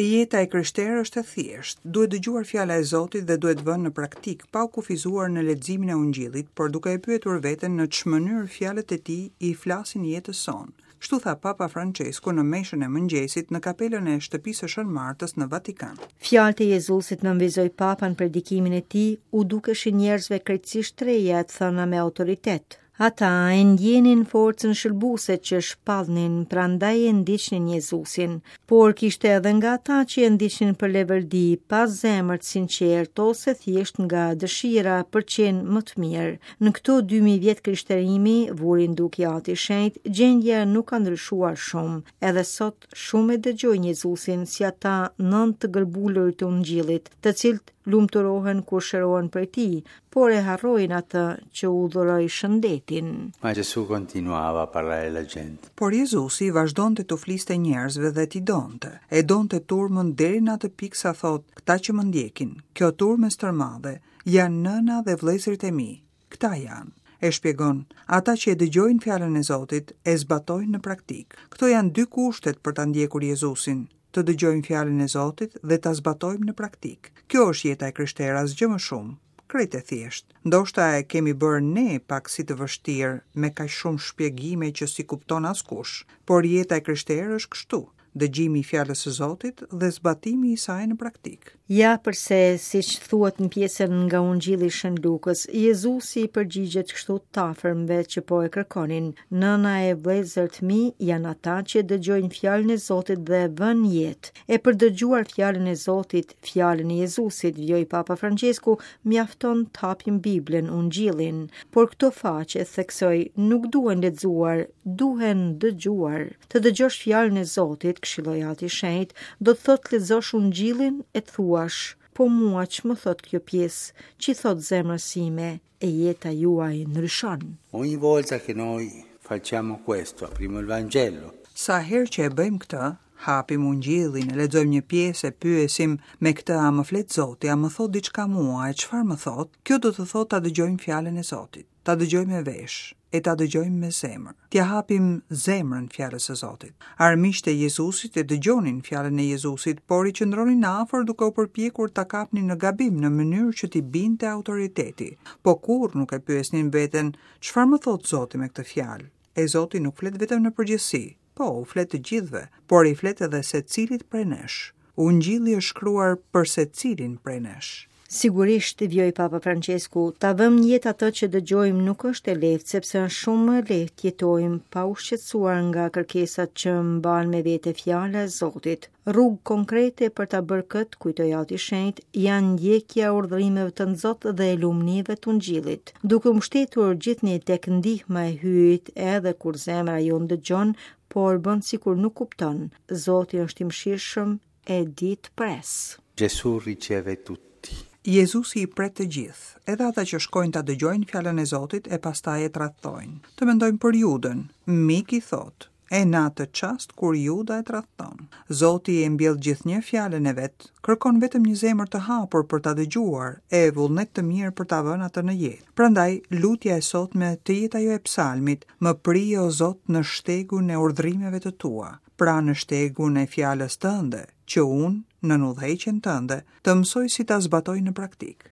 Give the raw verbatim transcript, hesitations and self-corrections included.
Jeta e krishterë është e thjeshtë, duhet dëgjuar fjala e Zotit dhe duhet vënë në praktikë, pa u kufizuar në leximin e Ungjillit, por duke e pyetur veten në ç'mënyrë fjalët e tij i flasin jetës sonë. Kështu tha Papa Francesku në meshën e mëngjesit në kapelën e shtëpisë së Shën Martës në Vatikan. Fjalët e Jezusit, nënvizoi Papa në predikimin e tij, u dukeshin njerëzve krejtësisht të reja e të thëna me autoritet. Ata e ndjenin forcën shëlbuese që shpallnin, prandaj e ndiqnin Jezusin, por kishte edhe nga ata që e ndiqnin për leverdi, pa zemër të sinqertë ose thjesht nga dëshira për qenë më të mirë. Në këto dy mijë vjet krishterimi, vuri në dukje Ati i Shenjtë, gjendja nuk ka ndryshuar shumë. Edhe sot shumë e dëgjojnë Jezusin si ata nëntë të gërbulurit të Ungjillit, të cilët lumturohen kur shërohen prej tij, por e harrojnë atë që u dhuroi shëndetin. Ma Gesù continuava a parlare alla gente. Por Jezusi vazhdonte t'u fliste njerëzve dhe t'i donte. E donte turmën deri në atë pikë sa thotë, këta që më ndjekin, kjo turmë e stërmadhe, janë nëna dhe vëllezërit e mi. Këta janë. E shpjegon, ata që e dëgjojnë fjalën e Zotit, e zbatojnë në praktikë. Këto janë dy kushtet për ta ndjekur Jezusin, të dëgjojmë fjalën e Zotit dhe ta zbatojmë në praktikë. Kjo është jeta e krishterë, asgjë më shumë. Krejt e thjeshtë. Ndoshta e kemi bërë ne pak si të vështirë, me kaq shumë shpjegime që si kupton askush, por jeta e krishterë është kështu, dëgjimi i fjalës së Zotit dhe zbatimi i saj në praktikë. Ja përse, siç thuhet në pjesën nga Ungjilli i Shën Lukës, Jezusi i përgjigjet kështu të afërmve që po e kërkonin. Nëna e vëllezërit mi janë ata që dëgjojnë fjalën e Zotit dhe vënë jetë. E për dëgjuar fjalën e Zotit, fjalën e Jezusit, vijoi Papa Francesku, mjafton të hapim Biblën, Ungjillin. Por këto faqe, theksoi, nuk duhen lexuar, duhen dëgjuar. Të dëgjosh fjalën e Zotit, këshilloi Ati i Shenjtë, do të thotë lexosh Ungjillin e të thuash, po mua ç'më thot kjo pjesë, ç'i thot zemrës sime, e jeta juaj ndryshon. Ogni volta che noi facciamo questo, apriamo il Vangelo. Sa herë që e bëjmë këtë, hapim Ungjillin, e lexojmë një pjesë e pyesim me këtë a më flet Zoti, a më thot diçka mua, e çfarë më thot? Kjo do të thotë ta dëgjojmë fjalën e Zotit, ta dëgjojmë me vesh, e ta dëgjojmë me zemër. T'ia hapim zemrën fjalës së Zotit. Armiqtë e Jezusit e dëgjonin fjalën e Jezusit, por i qëndronin afër duke u përpjekur ta kapnin në gabim në mënyrë që t'i binte autoriteti. Po kurrë nuk e pyesnin veten, çfarë më thot Zoti me këtë fjalë? E Zoti nuk flet vetëm në përgjithësi, po u flet të gjithëve, por i flet edhe secilit prej nesh. Ungjilli është shkruar për secilin prej nesh. Sigurisht, vijoi Papa Francesku, ta vëmë në jetë atë që dëgjojmë nuk është e lehtë, sepse është shumë më e lehtë të jetojmë pa u shqetësuar nga kërkesat që mban me vete fjala e Zotit. Rrugë konkrete për ta bërë këtë, kujtoi Ati i Shenjtë, janë ndjekja e urdhërimeve të Zot dhe e lumnive të Ungjillit. Duke u mbështetur gjithnjë tek ndihma e Hyjit, edhe kur zemra jonë dëgjon, por bën sikur nuk kupton. Zoti është i mëshirshëm e di të pres. Gesù riceve tutti. Jezusi i pret të gjithë, edhe ata që shkojnë ta dëgjojnë fjalën e Zotit e pastaj e tradhtojnë. Të mendojmë për Judën, mik i thot, e në atë çast kur Juda e tradhton. Zoti e mbjell gjithnjë fjalën e vet, kërkon vetëm një zemër të hapur për ta dëgjuar e vullnet të mirë për ta vënë atë në jetë. Prandaj lutja e sotme të jetë ajo e psalmit, më pri o Zot në shtegun e urdhrimeve të tua, pra në shtegun e fjalës tënde, që unë, në udhëheqjen tënde, të mësoj si ta zbatoj në praktikë.